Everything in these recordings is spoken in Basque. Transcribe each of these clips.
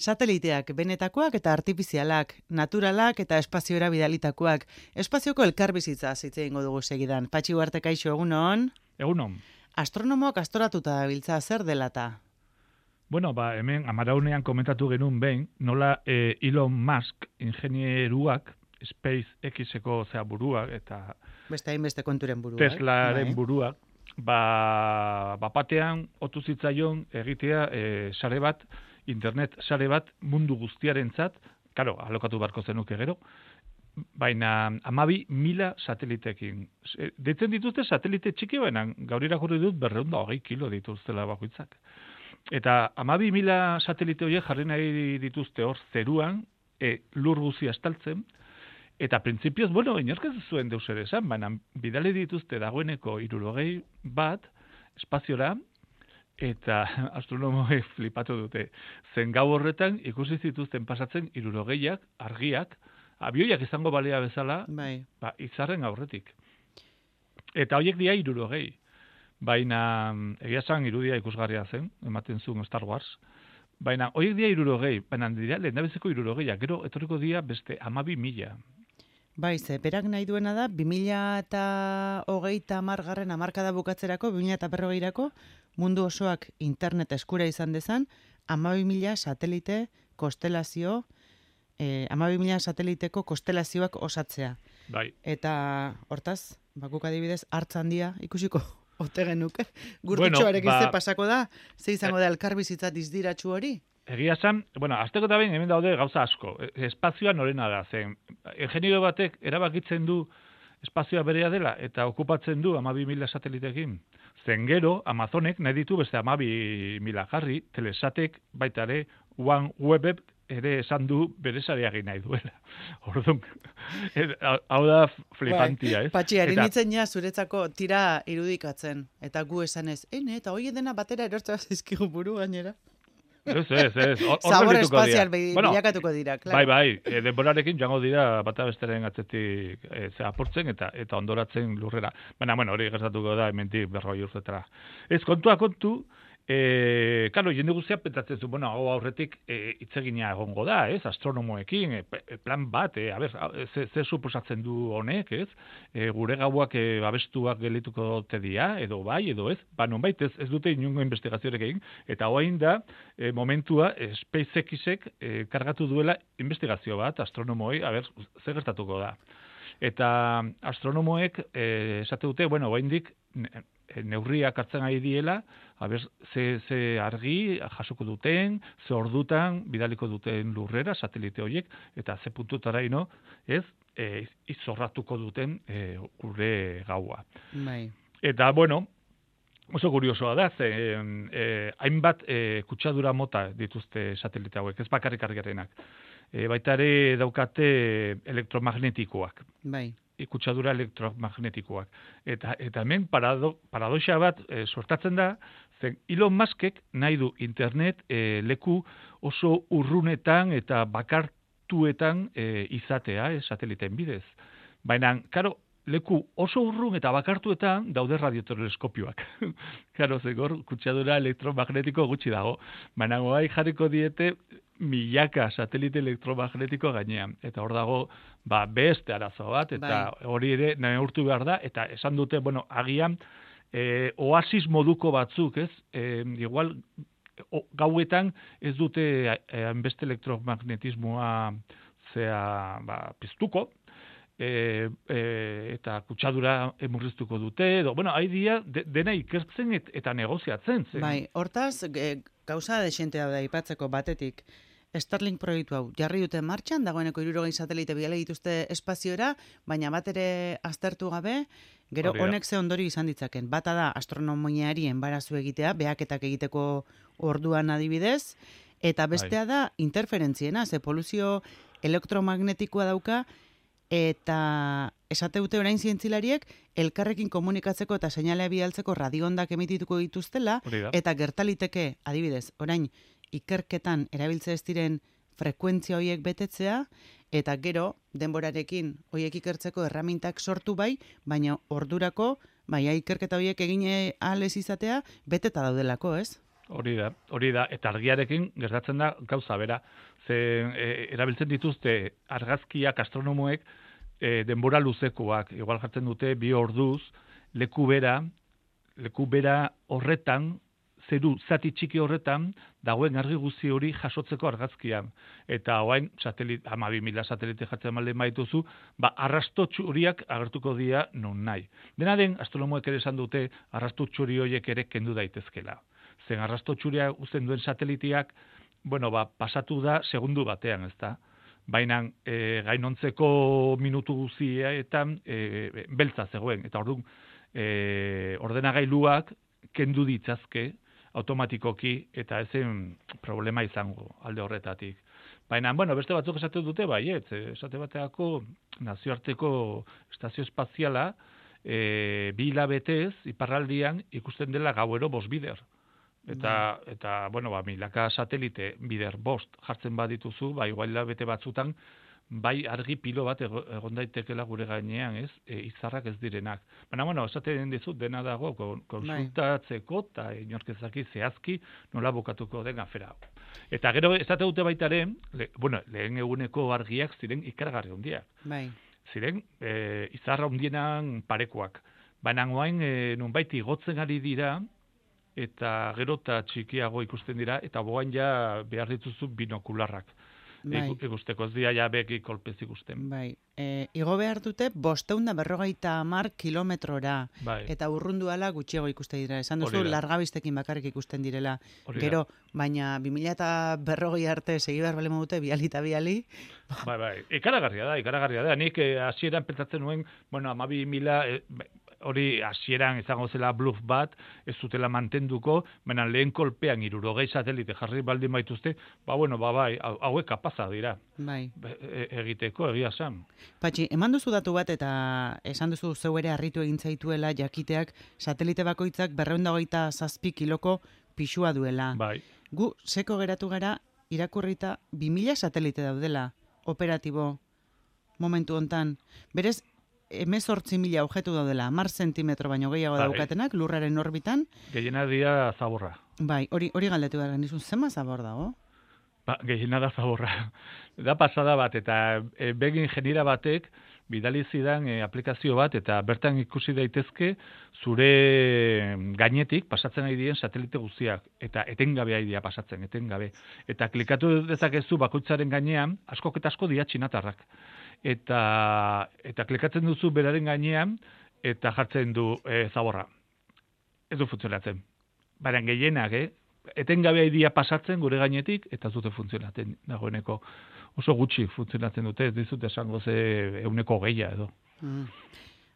Sateliteak benetakoak eta artifizialak, naturalak eta espaziora bidalitakoak. Espazioko elkarbizitza hitz egingo dugu segidan. Patxi Ugarte, kaixo, egunon? Egunon. Astronomoak astoratuta dabiltza, zer delata? Bueno, hemen amaraunean komentatu genuen behin, nola Elon Musk ingenieruak, SpaceX-eko buruak eta beste hainbeste konturen buruak. Teslaren buruak, batean otu zitzaion egitea sare bat, internet sare bat mundu guztiarentzat, karo, alokatu beharko zenuke gero, baina 12.000 satelitekin. Deitzen dituzte satelite txiki benan, gaur irakurri dut 220 kilo dituztela bakoitzak. Eta 12.000 satelite horiek jarri nahi dituzte hor zeruan, lur guzia estaltzen, eta printzipioz, inork ez zuen deus ere esan, baina bidali dituzte dagoeneko 60 bat espaziora, eta astronomoek flipatu dute. Zen gau horretan ikusi zituzten pasatzen 60ak, argiak, abioiak izango balea bezala, izarren aurretik. Eta horiek dira 60. Baina, egia esan irudia ikusgarria zen, ematen zuen Star Wars, baina horiek dira 60, baina dira lehendabiziko 60, gero etorriko dira beste 12.000. Ze, berak nahi duena da, 2030 hamarkada bukatzerako, 2040rako, mundu osoak internet eskura izan dezan, 12.000 satelite konstelazio, 12.000 sateliteko konstelazioak osatzea. Bai. Eta, hortaz, bakuk adibidez, hartz handia ikusiko ote genuke. Gurtitxoarekin ze pasako da, ze izango da elkarbizitza dizdiratxu hori? Egia esan, azteko eta behin hemen daude gauza asko. Espazioa norena da, zen. Ingeniero batek erabakitzen du espazioa berea dela eta okupatzen du 12.000 satelitekin. Zen gero, Amazonek nahi ditu beste 12.000 jarri, Telesatek baita ere, OneWeb ere esan du bere sareagin nahi duela. Orduan, hau da flipantia, ez? Patxi, harinitzen ja zuretzako tira irudikatzen, eta gu esanez, eta hoi dena batera erortzea zizkigu buru gainera. Ez. Zabor espazial bilakatuko dira, klaro. Bai, denborarekin joango dira bata besteren atzetik apurtzen eta ondoratzen lurrera. Baina, hori gertatuko da hementik 40 urtetara. Ez, kontua kontu, karo, jende guztia pentsatzen zu, hau aurretik hitzegina egongo da, ez, astronomoekin, plan bat, ze suposatzen du honek, ez, gure gauak abestuak gelituko te dira, edo bai, edo ez, nonbait ez dute inungo investigazioarek egin, eta hoain da, momentua, SpaceX-ek kargatu duela investigazio bat, astronomoei, ze gertatuko da. Eta astronomoek esate dute, oraindik neurriak hartzen ari diela, ze argi jasoko duten, ze ordutan bidaliko duten lurrera, satelite horiek, eta ze puntutara izorratuko duten gure gaua. Bai. Eta, oso kuriosoa da, hainbat kutsadura mota dituzte satelite hauek, ez bakarrik argiarenak. Baita ere daukate elektromagnetikoak. Bai. Kutsadura elektromagnetikoak. Eta hemen paradoxa bat sortatzen da, zen Elon Muskek nahi du internet leku oso urrunetan eta bakartuetan izatea, sateliteen bidez. Baina, karo, leku oso urrun eta bakartuetan daude radioteleskopioak. Karo, zegor, kutsadura elektromagnetiko gutxi dago. Baina, jarriko diete milaka satelite elektromagnetiko gainean. Eta hor dago, beste arazo bat, eta hori ere neurtu behar da, eta esan dute, agian, oasis moduko batzuk, ez? Igual, gauetan ez dute beste elektromagnetismoa piztuko, eta kutsadura murriztuko dute, haidia dena ikertzen eta negoziatzen. Bai, hortaz, gauza desentea da ipatzeko batetik, Starlink proiektu hau jarri dute martxan, dagoeneko 60 satelite bidali dituzte espaziora, baina bat ere aztertu gabe, gero honek ze ondori izan ditzaken. Bata da astronomiari enbarazu egitea, behaketak egiteko orduan adibidez, eta bestea da interferentziena, ze poluzio elektromagnetikoa dauka, eta esate dute orain zientzilariek elkarrekin komunikatzeko eta seinalea bidaltzeko radiondak emitituko dituztela, eta gertaliteke, adibidez, orain ikerketan erabiltze ez diren frekuentzia horiek betetzea, eta gero denborarekin horiek ikertzeko erramintak sortu baina ordurako, ikerketa horiek egin ahal ez izatea, beteta daudelako, ez? Hori da, eta argiarekin gertatzen da gauza bera. Erabiltzen dituzte argazkiak astronomoek denbora luzekoak, igual jartzen dute 2 orduz, leku bera horretan, zeru zati txiki horretan, dagoen argi guzti hori jasotzeko argazkian. Eta orain 12.000 satelite jartzen malden baituzu, arrasto txuriak agertuko dira non nahi. Dena den, astronomoek ere esan dute, arrasto txuri horiek ere kendu daitezkela. Zen arrasto txuria uzten duen sateliteak, pasatu da segundu batean, ezta? Baina gainontzeko minutu guztietan beltza zegoen. Eta orduan, ordenagailuak kendu ditzazke automatikoki eta ezen problema izango alde horretatik. Baina, beste batzuk esate dute, esate bateako nazioarteko estazio espaziala 2 hilabetez iparraldian ikusten dela gauero 5 bider. Eta milaka satelite bider 5 jartzen badituzu, igual hilabete batzutan, argi pilo bat egon daitekela gure gainean, ez? Izarrak ez direnak. Baina, esaten dizut dena dago konsultatzeko eta inorkezaki zehazki nola bukatuko den afera. Eta gero esate dute baitaren, lehen eguneko argiak ziren ikaragarri handiak. Ziren izarra handienan parekoak. Baina orain nonbait igotzen ari dira eta gero eta txikiago ikusten dira eta boain ja behar dituzu binokularrak. Ikusteko ez dira ja beki kolpez ikusten. Igo behar dute 550 kilometrora eta urrunduala gutxiago ikusten dira. Esan duzu, largabistekin bakarrik ikusten direla. Gero, baina 2040 arte segi behar bale modute, biali eta biali. Ikaragarria da. Nik hasieran pentsatzen nuen, 12.000 hori hasieran izango zela bluff bat, ez zutela mantenduko, baina lehen kolpean 60 satelite jarri baldin baituzte, hauek kapaza dira. Egiteko, egia san. Patxi, eman duzu datu bat eta esan duzu zeu ere harritu egin zaituela jakiteak satelite bakoitzak 227 kiloko pixua duela. Gu, seko geratu gara, irakurrita 2.000 satelite daudela, operatibo, momentu hontan. Berez, 18.000 objektu daudela, 10 zentimetro baino gehiago daukatenak, lurraren orbitan. Gehiena dira zaborra. Hori galdetu behar genizun, zema zabor dago? Gehiena da zaborra. Da pasada bat, eta begi ingeniera batek bidali zidan aplikazio bat, eta bertan ikusi daitezke zure gainetik pasatzen ari diren satelite guztiak, eta etengabe ari dira pasatzen, etengabe. Eta klikatu dezakezu bakoitzaren gainean, askok eta asko dira txinatarrak. Eta klikatzen duzu beraren gainean, eta jartzen du zaborra. Ez du funtzionatzen. Baina gehienak, etengabe idea pasatzen gure gainetik, eta zute funtzionatzen dagoeneko. Oso gutxi funtzionatzen dute, ez dizut esango ze 100 edo.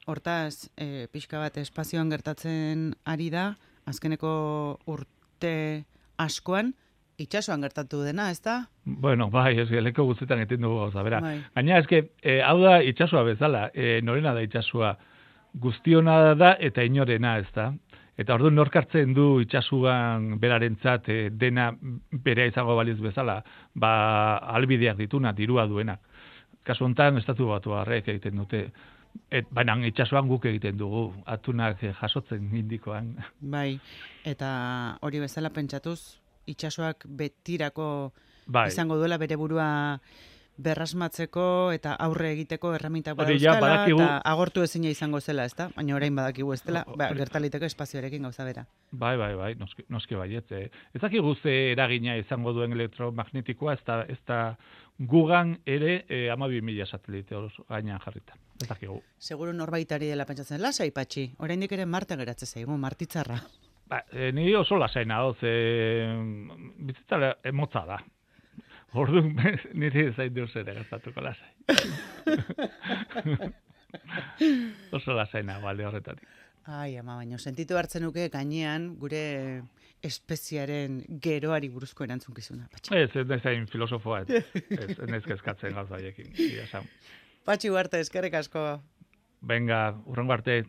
Hortaz, pixka bat espazioan gertatzen ari da, azkeneko urte askoan, itxasoan gertatu dena, ez da? Leko guztetan eten dugu gauza, bera. Gaina, hau da itxasoa bezala, norena da itxasoa, guztiona da eta inorena, ez da? Eta orduan nork hartzen du itxasuan berarentzat dena berea izango baliz bezala, albideak dituna, dirua duena. Kasu honetan, estatu batuarrek egiten dute, baina itxasuan guk egiten dugu, atunak jasotzen indikoan. Eta hori bezala pentsatuz, itxasoak betirako izango duela bere burua berrasmatzeko eta aurre egiteko erramintak badauzkala eta agortu ezina izango zela, ez da? Baina orain badakigu ez dela, gertaliteko espazioarekin gauza bera. Noski baiet. Ez dakigu ze eragina izango duen elektromagnetikoa, ez da gugan ere 12.000 satelite gainean jarrita. Ez dakigu. Seguru norbaitari dela pentsatzen, lasai patxi, oraindik ere Marte geratzen zaigu, martitzarra. Ni oso lasaina, bizitza emotza da. Orduan, nire zain duz ere gastatuko lasai. Oso lasaina, balde horretatik. Baina sentitu hartzen nuke gainean gure espeziaren geroari buruzko erantzunkizuna. Ez zain filosofoa, ez kezkatzen gauza haiekin. Patxi Ugarte, eskerrik asko. Venga, urrengo arte.